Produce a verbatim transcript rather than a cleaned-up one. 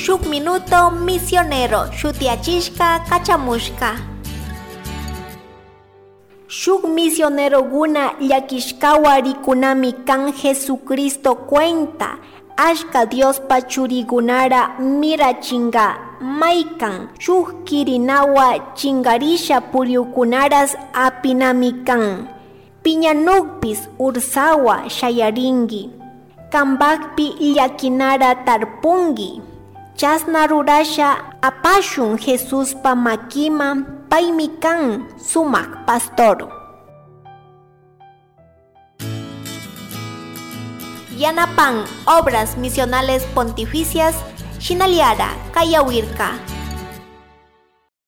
Shuk Minuto Misionero shutiachishka kachamushka. Shuk misioneroguna llakishkawa rikunami kan Jesucristo cuenta ashka Diospa churigunara mirachinga maykan shuk kirinawa chingarisha puriukunaras apinami kan. Piñanukpis ursawa shayaringi. Kambakpi llakinara tarpungi. Chasna rurasha apashun Jesuspa makima paymi kan sumak pastor. Yanapan Obras Misionales Pontificias, Shinaliara, Kayawirka.